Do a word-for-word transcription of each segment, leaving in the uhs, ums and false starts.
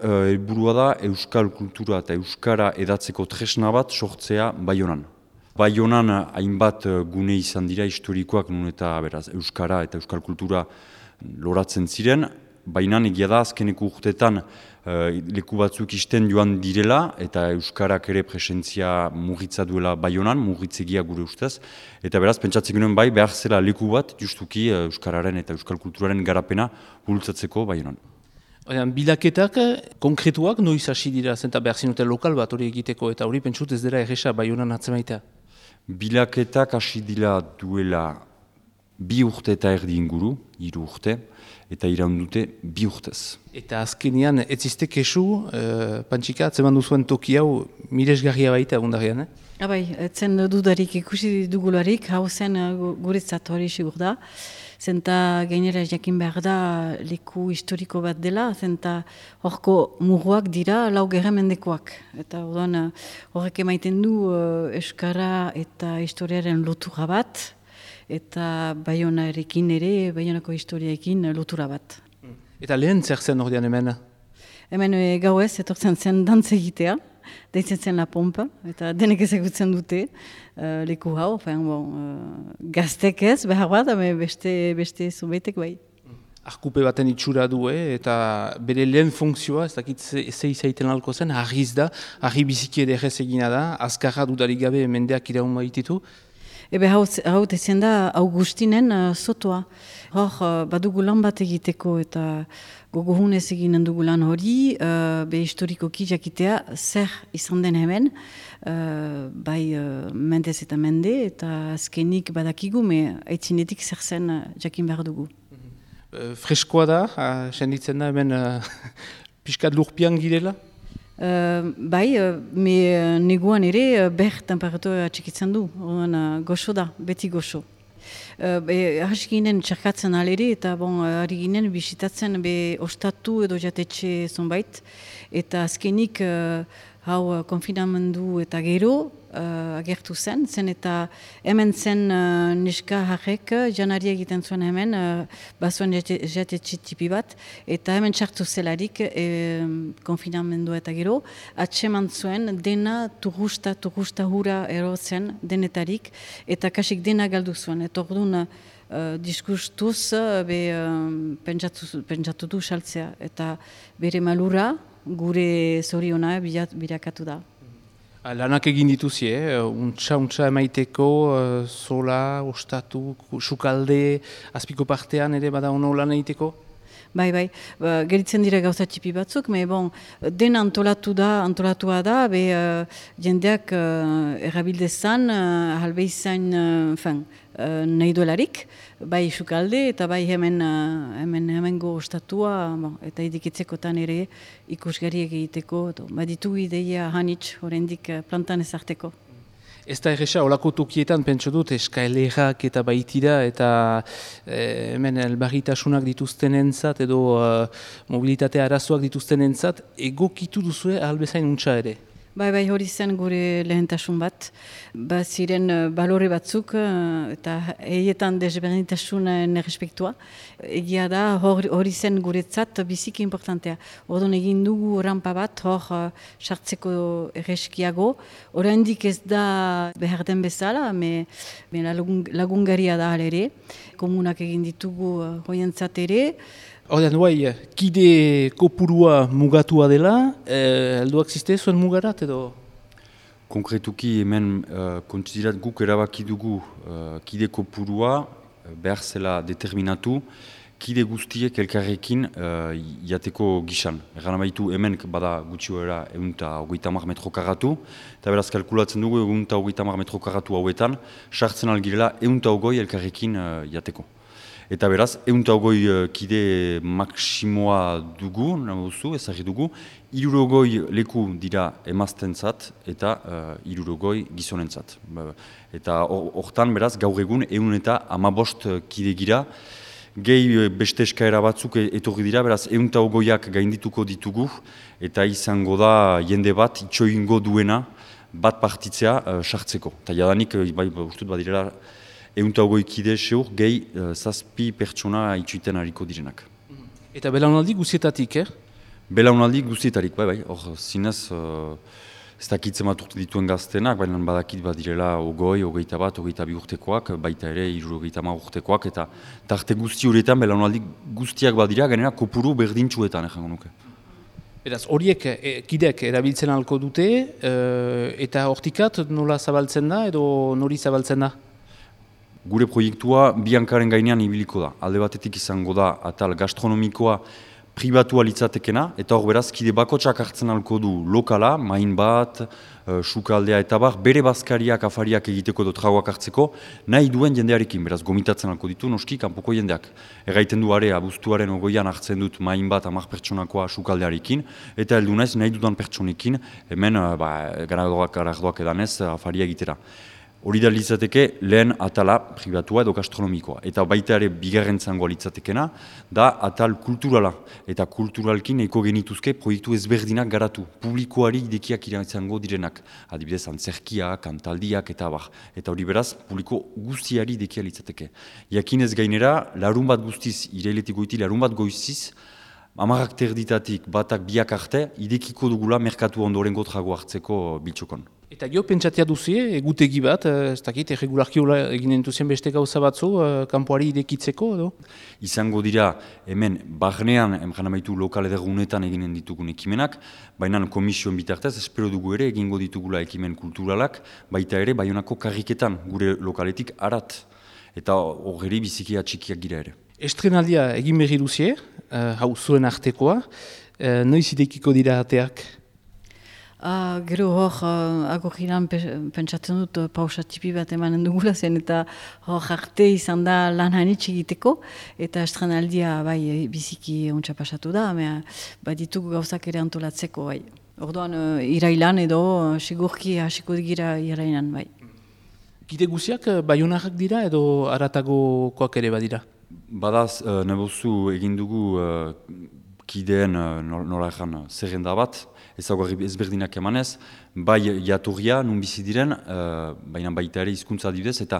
helburua da euskal kultura eta euskara edatzeko tresna bat sortzea Baionan. Baionan hainbat gune izan dira historikoak nun eta beraz, euskara eta euskal kultura loratzen ziren, baina egia da azkeneko urteetan leku batzuk isten joan direla eta euskarak ere presentzia murritza duela Baionan, murritzegia gure ustez, eta beraz pentsatzen genuen bai behar zela leku bat justuki euskararen eta euskal kulturaren garapena bultzatzeko Baionan. Bilaketak konkretuak noiz hasi dira zenta behar zinuten lokal bat hori egiteko eta hori pentsut ez dira erresa Baionan atzemaita? Bilaketak hasi dira duela bi urte eta erdi inguru, hiru urte, eta iraundute bi urtez. Eta azkenean, ez izte kesu, uh, Pantxika, atzeman duzuen toki hau miresgarria baita agundarian, eh? Abai, etzen dudarik ikusi dugularik, hau zen guretzat hori sigur da. Zenta gainera jakin behar da leku historiko bat dela, zenta horko muruak dira lau gerramendekoak. Eta orduan horrek emaiten du uh, euskara eta historiaren lotura bat, eta Baionarekin ere, Baionako historiaekin lotura bat. Eta lehen zer zen ordean hemen? Hemen e, gauez, etortzen zen dantz egitea, deitzen zen La Pompa, eta denek ezagutzen dute uh, leku hau, fean, bon, uh, gaztek ez, behar bat, beste, beste zubeitek bai. Arkupe baten itxura du, eh? Eta bere lehen funkzioa, ez dakit ze, ze izaiten alko zen, harriz da, harri biziki ederrez egina da, azkarra dudarik gabe mendeak iraun baititu. Ebe hau, hau tezen da Augustinen uh, sotoa. Hor, uh, badugu lan bat egiteko eta gogohunez eginen dugu lan hori, uh, be historikoki jakitea zer izan den hemen, uh, bai uh, mendez eta mende, eta azkenik badakigu, me aitzinetik zer zen uh, jakin behar dugu. Uh, freskoa da, uh, senditzen da hemen uh, pixkat lurpian girela? Uh, bai, uh, me uh, neguan ere uh, ber temperatura txikitzen du, uh, goxo da, beti goxo. Uh, Hasi ginen txarkatzen alere eta bon, hari ginen bisitatzen be ostatu edo jatetxe zonbait, eta azkenik uh, hau konfinamendu eta gero uh, agertu zen, zen eta hemen zen uh, neska harrek janari egiten zuen hemen, uh, bazuen jatetxe tipi bat, eta hemen txartu zelarik e, konfinamendu eta gero, atseman zuen dena turusta, turusta hura erotzen denetarik, eta kasik dena galdu zuen, eta orduan Uh, diskustuz uh, be, uh, pentsatu, pentsatu du saltzea, eta bere malura gure zoriona birakatu da. Lanak egin dituzie, eh? untxa, untxa emaiteko, uh, zola, ostatu, sukalde, azpiko partean ere bada ono lan egiteko? Bai, bai, ba, geritzen dira gauza txipi batzuk, me bon, den antolatu da, antolatua da, be uh, jendeak uh, errabildezan, uh, halbe izan, uh, fin, uh, nahi duelarik, bai sukalde eta bai hemen, uh, hemen hemengo ostatua, bon, eta idikitzekotan ere ikusgariek egiteko, baditu ideia hanitz, horrendik uh, plantan ezarteko. Ez da erresa, olako tokietan pentsu dut, eskaelerak eta baitira, eta e, hemen elbarritasunak dituzten entzat, edo uh, mobilitate arazoak dituzten entzat, egokitu duzue ahalbezain untxa ere? Bai, bai, hori zen gure lehentasun bat. Ba, ziren uh, balore batzuk, uh, eta eietan desberdintasunen errespektua. Egia da, hori, hori zen guretzat biziki importantea. Orduan egin dugu rampa bat, hor uh, sartzeko erreskiago. Oraindik ez da behar den bezala, me, me lagun, lagungaria da ere. Komunak egin ditugu uh, hoientzat ere. Horten, bai, kide kopurua mugatua dela, eh, helduak ziste zuen mugarat edo? Konkretuki hemen uh, kontsiderat guk erabaki dugu uh, kide kopurua uh, behar zela determinatu, kide guztiek elkarrekin uh, jateko gisan. Egan baitu hemen bada gutxioera egun eta hogeita hamar metro karratu, eta beraz kalkulatzen dugu egun eta hogeita hamar metro karratu hauetan, sartzen algirela egun eta hogoi elkarrekin uh, jateko. Eta beraz, egun eta hogoi uh, kide maksimoa dugu, nahuzu, ezagri dugu, hirurogoi leku dira emaztentzat eta uh, hirurogoi gizonentzat. Eta hortan beraz, gaur egun egun eta hamabost kide gira, gehi beste eskaera batzuk etorri dira, beraz, egun eta hogoiak gaindituko ditugu, eta izango da jende bat itxoingo duena bat partitzea uh, sartzeko. Eta jadanik, bai, ustut badirela, egun eta hogoi kide seur, gehi uh, zazpi pertsona itxuiten hariko direnak. Eta belaunaldi guzietatik, eh? Belaunaldi guztietarik, bai, bai, hor zinez, uh, ez dakitzen bat urte dituen gaztenak, baina badakit badirela ogoi, ogeita bat, ogeita bi urtekoak, baita ere hiru ogeita ma urtekoak, eta tarte guzti horietan belaunaldi guztiak badira, gainera kopuru berdintsuetan, ejango nuke. Beraz, horiek e, kideak erabiltzen halko dute, e, eta hortikat nola zabaltzen da edo nori zabaltzen da? Gure proiektua bi hankaren gainean ibiliko da. Alde batetik izango da atal gastronomikoa pribatua litzatekena, eta hor beraz, kide bakotsak hartzen halko du lokala, main bat, uh, sukaldea eta bar, bere bazkariak, afariak egiteko edo tragoak hartzeko, nahi duen jendearekin, beraz, gomitatzen halko ditu, noski, kanpoko jendeak. Erraiten du are, abuztuaren ogoian hartzen dut main bat, hamar pertsonakoa sukaldearekin, eta heldu naiz nahi dudan pertsonekin, hemen, uh, ba, garadoak, garadoak edanez, afaria egitera. Hori da litzateke lehen atala pribatua edo gastronomikoa. Eta baita ere bigarren zangoa litzatekena, da atal kulturala. Eta kulturalkin eko genituzke proiektu ezberdinak garatu. Publikoari idekiak izango direnak. Adibidez, antzerkiak, kantaldiak eta abar. Eta hori beraz, publiko guztiari idekia litzateke. Jakinez gainera, larun bat guztiz, irailetik goiti larun bat goiziz, amarrak terditatik batak biak arte, idekiko dugula merkatu ondorengo trago hartzeko biltxokon. Eta jo, pentsatia duzie, egutegi bat, ez dakit, erregularki egin entuzien beste gauza batzu, kanpoari irekitzeko, edo? Izango dira, hemen, barnean, emjan amaitu lokal edergunetan eginen ditugun ekimenak, baina komisioen bitartez, espero dugu ere, egingo ditugula ekimen kulturalak, baita ere, Baionako karriketan, gure lokaletik arat. Eta horreri biziki atxikiak gira ere. Estrenaldia egin berri duzie, hau zuen artekoa, noiz idekiko dira ateak? Uh, gero hor, uh, agogiran pentsatzen dut uh, pausa tipi bat emanen dugula zen, eta hor arte izan da lan hanitz egiteko, eta estrenaldia bai biziki ontsa pasatu da, mea bat ditugu gauzak ere antolatzeko bai. Orduan uh, irailan edo uh, sigurki hasiko digira irailan bai. Kide guziak baionarrak dira edo aratagokoak ere badira? Badaz, uh, nebozu egin dugu uh, kideen uh, nola egan zerrenda bat, ezaguarri ezberdinak emanez, bai jatorria, nun bizi diren, uh, baina baita ere hizkuntza adibidez, eta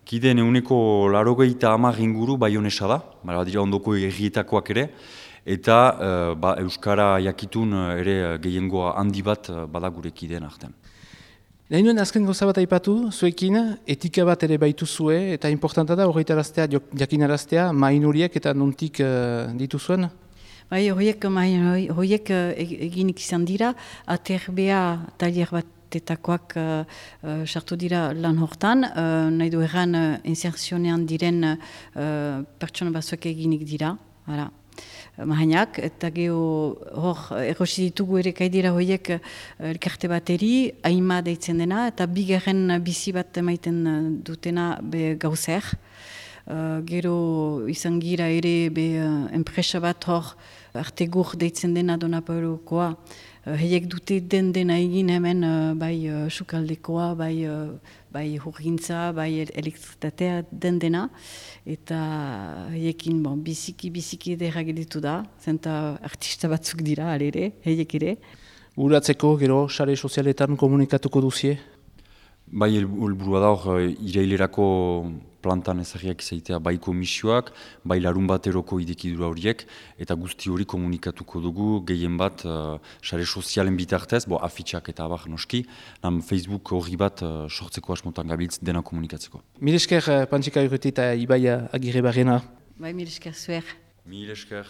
kideen eguneko larogeita hamar inguru baionesa da, bara dira ondoko errietakoak ere, eta uh, ba, Euskara jakitun ere gehiengoa handi bat uh, bada gure kideen artean. Nahi nuen azken gauza bat aipatu, zuekin, etika bat ere baitu zue, eta importanta da horretaraztea, jakinaraztea, main horiek eta nontik uh, dituzuen? Bai, horiek, horiek eginik izan dira, aterbea talier batetakoak sartu uh, dira lan hortan, uh, nahi du erran uh, inserzionean diren uh, pertsona batzuek eginik dira, hala. Mahainak, eta geho hor errosi ditugu ere kaidira horiek elkarte bateri, haima deitzen dena, eta bigarren bizi bat emaiten dutena be gauzer. Uh, gero izan gira ere be uh, enpresa bat hor artegur deitzen dena Donapaulokoa. Uh, heiek dute den dena egin hemen uh, bai uh, sukaldekoa, bai, uh, bai hurgintza, bai elektritatea den dena. Eta heiekin bon, biziki biziki edera gelitu da, zenta artista batzuk dira alere, heiek ere. Uratzeko gero sare sozialetan komunikatuko duzie? Bai, helburua da hor, irailerako plantan ezagiak izaitea bai komisioak, bai larun bateroko idekidura horiek, eta guzti hori komunikatuko dugu, gehien bat, sare uh, sozialen bitartez, bo afitxak eta abar noski, nam Facebook horri bat uh, sortzeko asmotan gabiltz dena komunikatzeko. Mil esker, Pantsika Urruti eta Ibai Agirre Barrena. Bai, mil esker zuer. Mil esker.